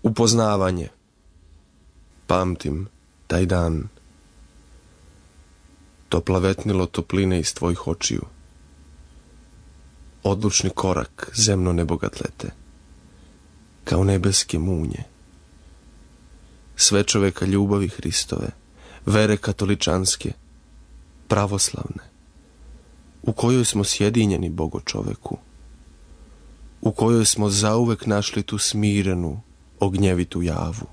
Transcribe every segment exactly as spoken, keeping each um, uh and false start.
Upoznavanje. Pamtim taj dan. To plavetnilo topline iz tvojih očiju. Odlučni korak zemno nebogatlete, kao nebeske munje. Sve čoveka ljubavi Hristove, vere katoličanske, pravoslavne, u kojoj smo sjedinjeni Bogo čoveku, u kojoj smo zauvek našli tu smirenu, ognjevitu javu,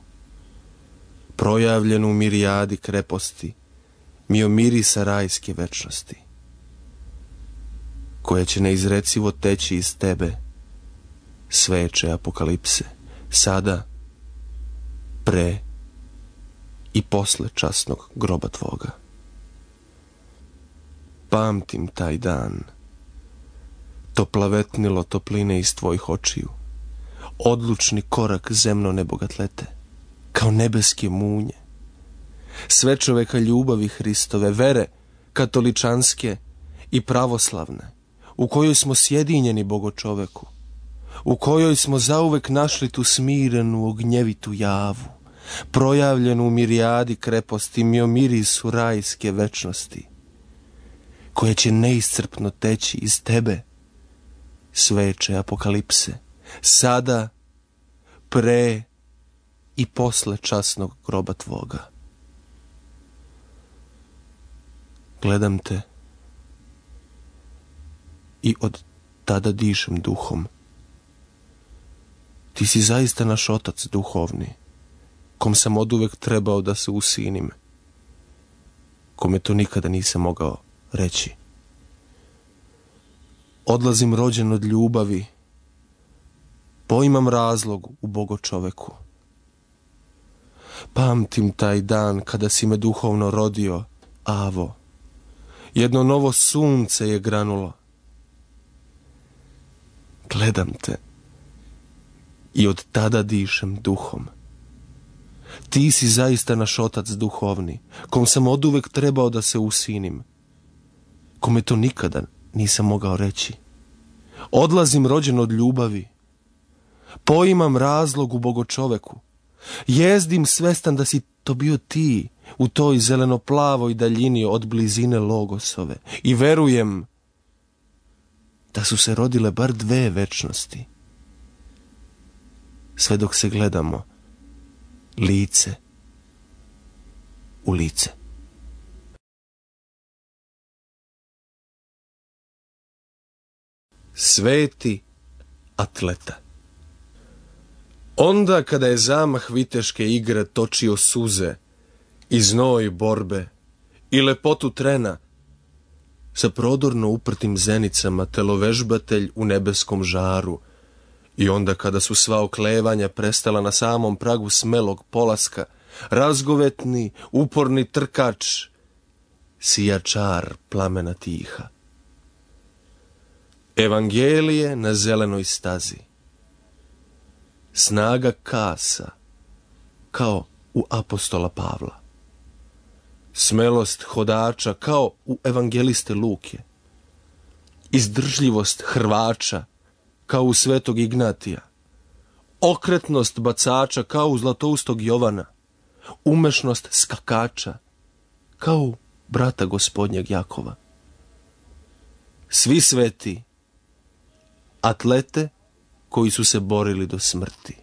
projavljenu u mirijadi kreposti, miomirisa rajske večnosti, koja će neizrecivo teći iz tebe, sveče apokalipse, sada, pre i posle časnog groba tvoga. Pamtim taj dan, to plavetnilo topline iz tvojih očiju, odlučni korak zemno nebogatlete, kao nebeske munje, sve čoveka ljubavi Hristove, vere katoličanske i pravoslavne, u kojoj smo sjedinjeni Bogo čoveku, u kojoj smo zauvek našli tu smirenu, ognjevitu javu, projavljenu u mirijadi kreposti, miomirisu rajske večnosti, koja će neiscrpno teći iz tebe, sveče apokalipse, sada, pre i posle časnog groba tvoga. Gledam te i od tada dišem duhom. Ti si zaista naš otac duhovni, kom sam oduvek trebao da se usinim, kome to nikada nisam mogao reći. Odlazim rođen od ljubavi, poimam razlog u Bogo čoveku. Pamtim taj dan kada si me duhovno rodio, Avo. Jedno novo sunce je granulo. Gledam te i od tada dišem duhom. Ti si zaista naš otac duhovni, kom sam oduvek trebao da se usinim, kome to nikada nisam mogao reći. Odlazim rođen od ljubavi, poimam razlog u Bogo čoveku, jezdim svestan da si to bio ti u toj zeleno-plavoj daljini od blizine Logosove i verujem da su se rodile bar dve večnosti, sve dok se gledamo lice u lice. Sveti atleta. Onda kada je zamah viteške igre točio suze i znoj borbe i lepotu trena, sa prodorno uprtim zenicama telovežbatelj u nebeskom žaru, i onda kada su sva oklevanja prestala na samom pragu smelog polaska, razgovetni, uporni trkač, sijačar plamena tiha. Evangelije na zelenoj stazi. Snaga kasa, kao u apostola Pavla. Smelost hodača, kao u evangeliste Luke. Izdržljivost hrvača, kao u svetog Ignatija. Okretnost bacača, kao u zlatoustog Jovana. Umešnost skakača, kao u brata gospodnjeg Jakova. Svi sveti, atlete koji su se borili do smrti.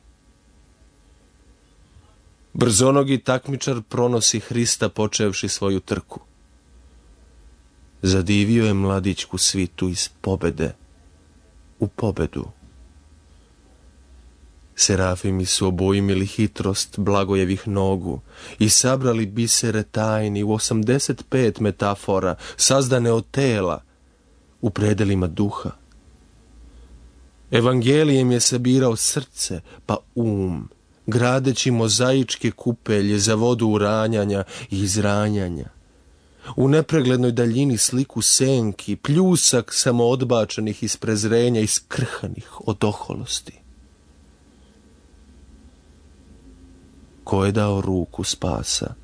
Brzonogi takmičar pronosi Hrista počevši svoju trku. Zadivio je mladićku svitu iz pobede u pobedu. Serafimi su obojmili hitrost blagojevih nogu i sabrali bisere tajni u osamdeset pet metafora sazdane od tela u predelima duha. Evangelijem je sabirao srce pa um, gradeći mozaičke kupelje za vodu uranjanja i izranjanja. U nepreglednoj daljini sliku senki, pljusak samo odbačenih iz prezrenja i skrhanih od oholosti. Ko je dao ruku spasa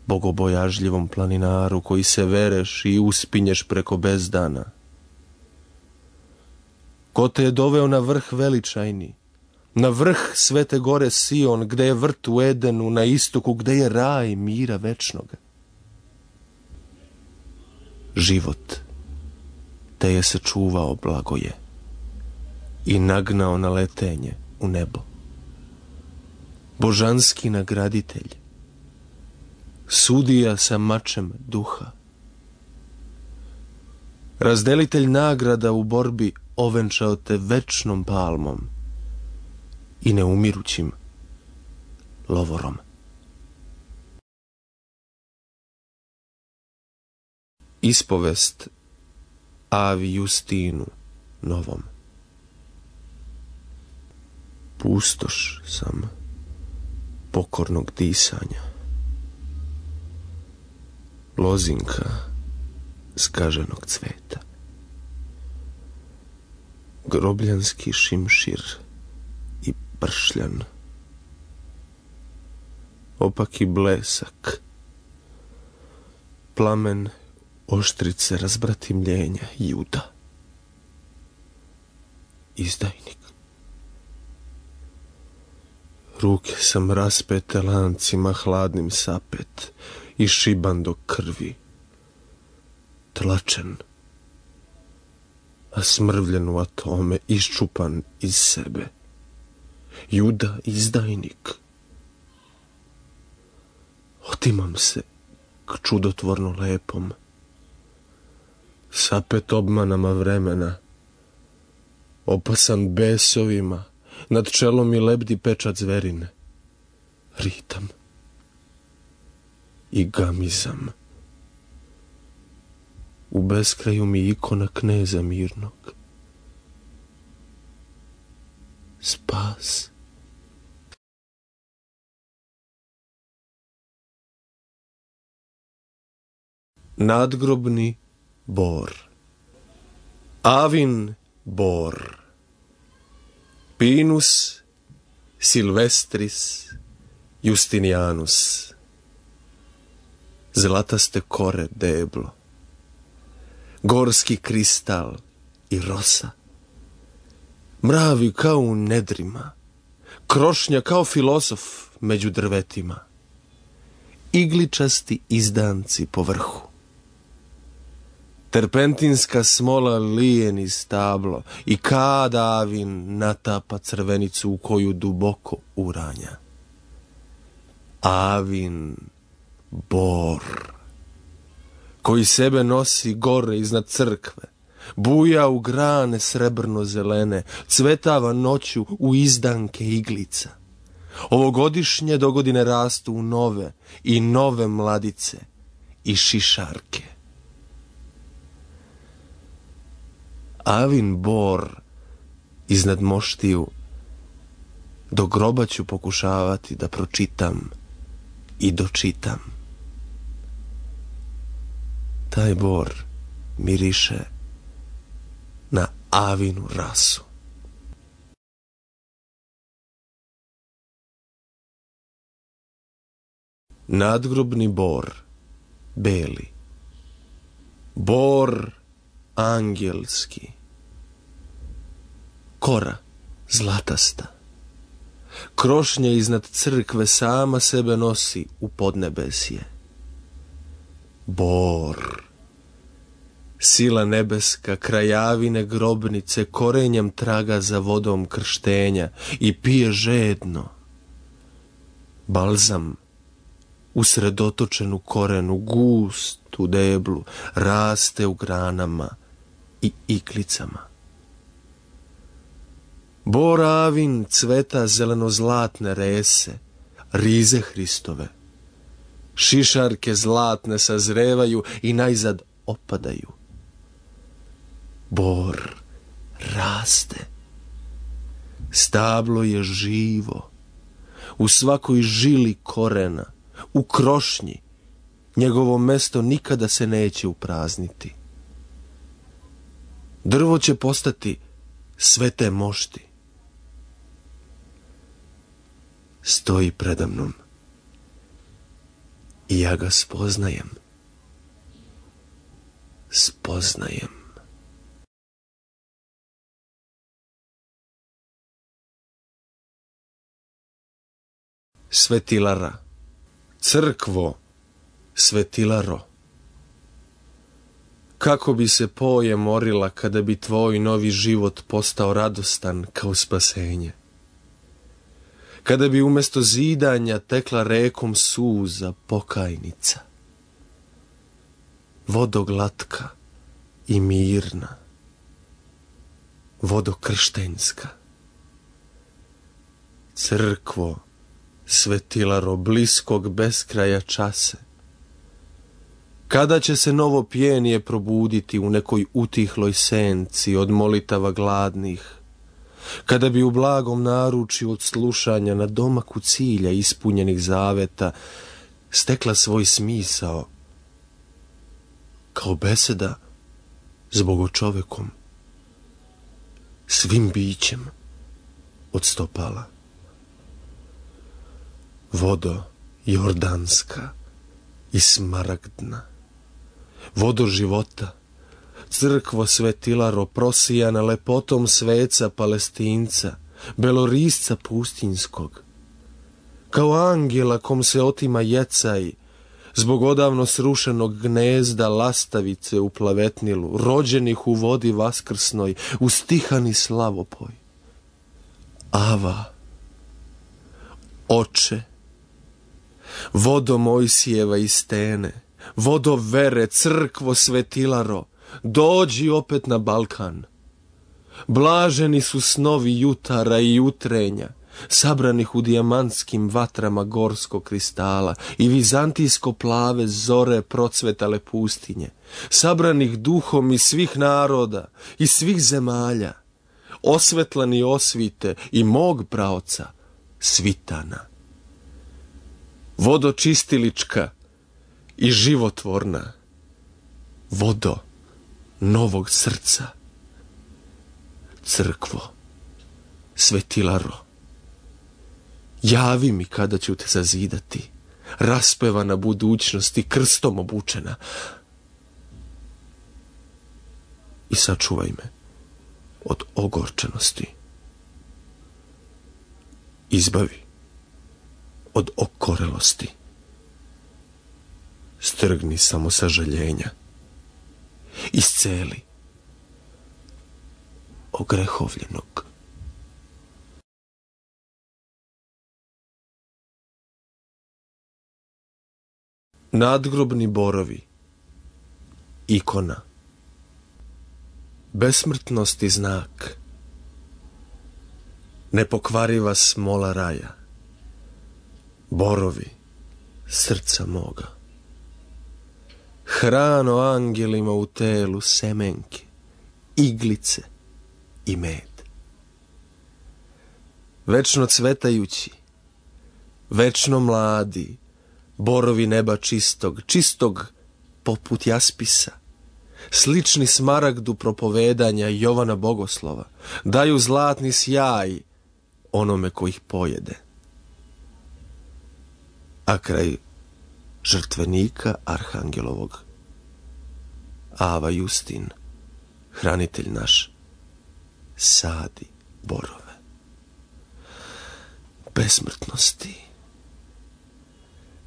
bogobojažljivom planinaru koji se vereš i uspinješ preko bezdana? Ko te je doveo na vrh veličajni, na vrh svete gore Sion, gde je vrt u Edenu, na istoku, gde je raj mira večnoga. Život te je sačuvao, blagoje, i nagnao na letenje u nebo. Božanski nagraditelj, sudija sa mačem duha, razdelitelj nagrada u borbi, ovenčao te večnom palmom i neumirućim lovorom. Ispovest Avi Justinu Novom. Pustoš sam pokornog disanja, lozinka zgaženog cveta, grobljanski šimšir i pršljan, opaki blesak, plamen oštrice razbratimljenja Juda, izdajnik. Ruke sam raspete lancima hladnim sapet i šiban do krvi, tlačen, a smrvljen u atome, iščupan iz sebe. Juda, izdajnik. Otimam se k čudotvorno lepom, sapet obmanama vremena, opasan besovima, nad čelom mi lebdi pečat zverine, ritam i gamizam. U beskraju mi ikona kneza mirnog. Spas. Nadgrobni bor. Avin bor. Pinus Silvestris Justinianus. Zlataste kore deblo, gorski kristal i rosa, mravi kao u nedrima, krošnja kao filozof među drvetima, igličasti izdanci po vrhu, terpentinska smola lije niz stablo i kad Avin natapa crvenicu u koju duboko uranja. Avin bor, koji sebe nosi gore iznad crkve, buja u grane srebrno zelene, cvetava noću u izdanke iglica. Ovogodišnje dogodine rastu u nove i nove mladice i šišarke. Avin bor iznad moštiju, do groba ću pokušavati da pročitam i dočitam. Taj bor miriše na Avinu rasu. Nadgrobni bor, beli, bor angelski, kora zlatasta, krošnja iznad crkve sama sebe nosi u podnebesje. Bor, sila nebeska, krajavine grobnice, korenjem traga za vodom krštenja i pije žedno. Balzam, usredotočen u korenu, gust u deblu, raste u granama i iklicama. Bor Avin cveta zeleno-zlatne rese, rize Hristove. Šišarke zlatne sazrevaju i najzad opadaju. Bor raste. Stablo je živo. U svakoj žili korena, u krošnji, njegovo mesto nikada se neće uprazniti. Drvo će postati svete mošti. Stoji predamnom i ja ga spoznajem. Spoznajem. svetilara, crkvo, svetilaro. Kako bi se poje morila kada bi tvoj novi život postao radostan kao spasenje. Kada bi umjesto zidanja tekla rekom suza pokajnica. Vodoglatka i mirna. Vodokrštenjska. Crkvo, svetilaro bliskog beskraja čase. Kada će se novo pjenije probuditi u nekoj utihloj senci od molitava gladnih, kada bi u blagom naručju od slušanja na domaku cilja ispunjenih zaveta stekla svoj smisao, kao beseda s Bogočovekom, svim bićem od stopala. Vodo jordanska i smaragdna, vodo života, crkvo svetilaro prosijana lepotom sveca Palestinca, belorisca pustinskog, kao angela kom se otima jecaj, zbog odavno srušenog gnezda lastavice u plavetnilu, rođenih u vodi vaskrsnoj, u stihani slavopoj. Ava, oče, vodo Mojsijeva i stene, vodo vere, crkvo svetilaro, dođi opet na Balkan. Blaženi su snovi jutara i jutrenja, sabranih u dijamantskim vatrama gorskog kristala i vizantijsko plave zore procvetale pustinje, sabranih duhom iz svih naroda i svih zemalja, osvetlani osvite i mog praoca, Svitana. Vodo čistilička i životvorna, vodo novog srca, crkvo, svetilaro, javi mi kada ću te zazidati, raspevana budućnosti, krstom obučena, i sačuvaj me od ogorčenosti. Izbavi od okorelosti. Strgni samo sažaljenja. Isceli ogrehovljenog. Nadgrobni borovi. Ikona. Besmrtnosti znak. Nepokvariva smola raja. Borovi srca moga. Hrano angelima u telu semenke, iglice i med. Večno cvetajući, večno mladi, borovi neba čistog, čistog poput jaspisa, slični smaragdu propovedanja Jovana Bogoslova, daju zlatni sjaj onome ko ih pojede. A kraj žrtvenika arhangelovog, Ava Justin, hranitelj naš, sadi borove. Besmrtnosti,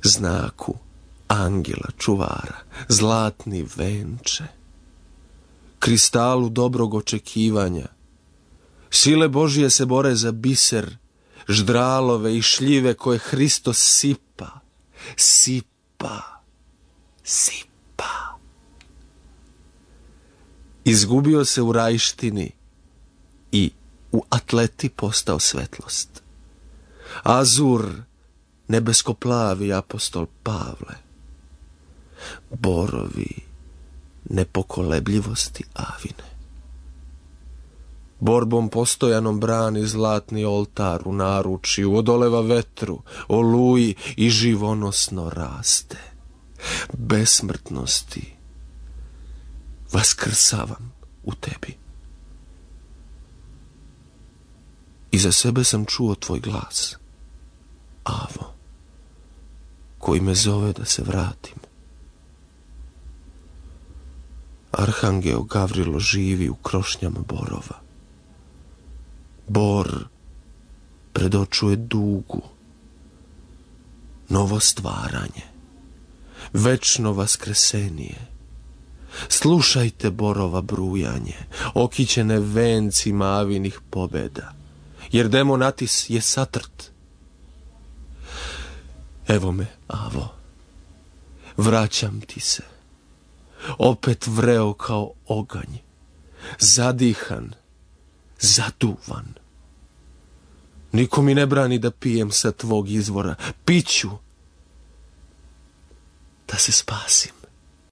znaku angela čuvara, zlatni venče, kristalu dobrog očekivanja, sile Božije se bore za biser, ždralove i šljive koje Hristos sipa, sipa, sipa. Izgubio se u rajštini i u atleti postao svetlost. Azur, nebeskoplavi apostol Pavle. Borovi nepokolebljivosti Avine. Borbom postojanom brani zlatni oltar u naručju, odoleva vetru, oluji i živonosno raste. Besmrtnosti vaskrsavam u tebi. I za sebe sam čuo tvoj glas, Avo, koji me zove da se vratim. Arhangeo Gavrilo živi u krošnjama borova. Bor predočuje dugu, novo stvaranje, večno vaskresenije. Slušajte borova brujanje, okićene vencima avinih pobeda, jer demonatis je satrt. Evo me, Avo, vraćam ti se, opet vreo kao oganj, zadihan, zaduvan. Niko mi ne brani da pijem sa tvog izvora, piću da se spasim.